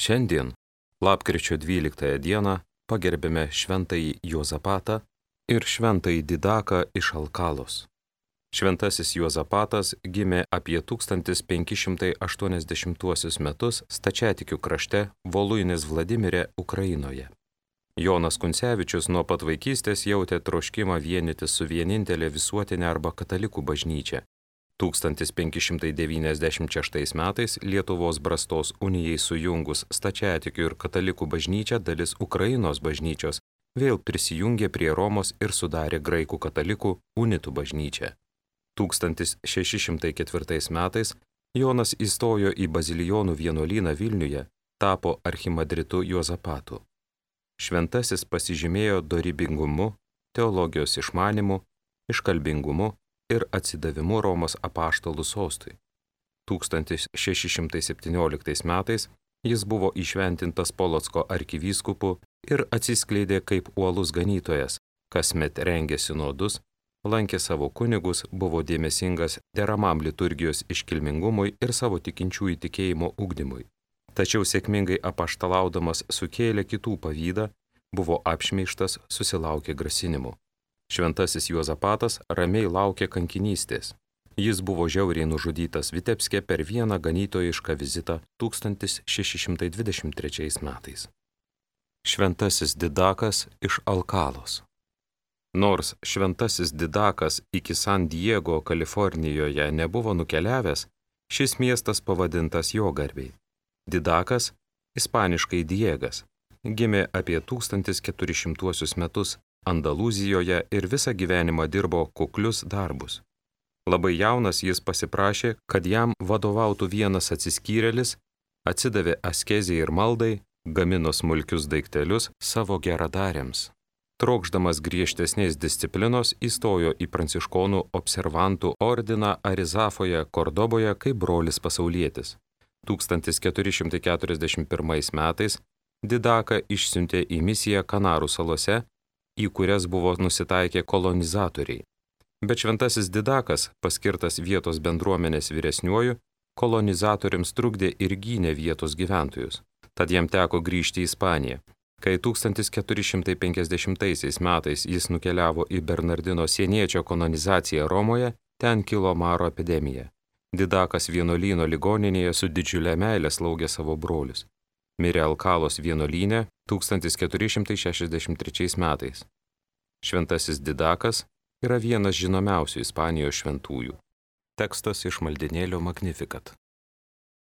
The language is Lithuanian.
Šiandien, lapkričio 12 dieną, pagerbėme šventąjį Juozapatą ir šventąjį Didaką iš Alkalos. Šventasis Juozapatas gimė apie 1580 metus stačiatikių krašte Voluinės Vladimire, Ukrainoje. Jonas Kuncevičius nuo pat vaikystės jautė troškimą vienytis su vienintelė visuotinė arba katalikų bažnyčia. 1596 metais Lietuvos Brastos unijai sujungus stačiatikių ir katalikų bažnyčią dalis Ukrainos bažnyčios vėl prisijungė prie Romos ir sudarė graikų katalikų unitų bažnyčią. 1604 metais Jonas įstojo į Bazilijonų vienuolyną Vilniuje, tapo archimandritu Juozapatu. Šventasis pasižymėjo dorybingumu, teologijos išmanimu, iškalbingumu ir atsidavimu Romos apaštalų sostui. 1617 metais jis buvo įšventintas Polocko arkivyskupu ir atsiskleidė kaip uolus ganytojas, kasmet rengė sinodus, lankė savo kunigus, buvo dėmesingas deramam liturgijos iškilmingumui ir savo tikinčiųjų tikėjimo ugdymui. Tačiau sėkmingai apaštalaudamas sukėlė kitų pavydą, buvo apšmeižtas, susilaukė grasinimų. Šventasis Juozapatas ramiai laukė kankinystės. Jis buvo žiauriai nužudytas Vitebske per vieną ganytojišką vizitą 1623 metais. Šventasis Didakas iš Alkalos. Nors šventasis Didakas iki San Diego, Kalifornijoje nebuvo nukeliavęs, šis miestas pavadintas jo garbei. Didakas, ispaniškai Diegas, gimė apie 1400 metus Andalūzijoje ir visą gyvenimą dirbo kuklius darbus. Labai jaunas jis pasiprašė, kad jam vadovautų vienas atsiskyrėlis, atsidavė askezijai ir maldai, gamino smulkius daiktelius savo geradariams. Trokšdamas griežtesnės disciplinos įstojo į pranciškonų observantų ordiną Arizafoje, Kordoboje kaip brolis pasaulietis. 1441 metais Didaką išsiuntė į misiją Kanarų salose, į kurias buvo nusitaikę kolonizatoriai. Bet šventasis Didakas, paskirtas vietos bendruomenės vyresniuoju, kolonizatoriams trukdė ir gynė vietos gyventojus. Tad jam teko grįžti į Ispaniją. Kai 1450 metais jis nukeliavo į Bernardino sieniečio kanonizaciją Romoje, ten kilo maro epidemija. Didakas vienuolyno ligoninėje su didžiulė meile slaugė savo brolius. Mirė Alkalos vienuolyne 1463 metais. Šventasis Didakas yra vienas žinomiausių Ispanijos šventųjų. Tekstas iš maldinėlio Magnificat.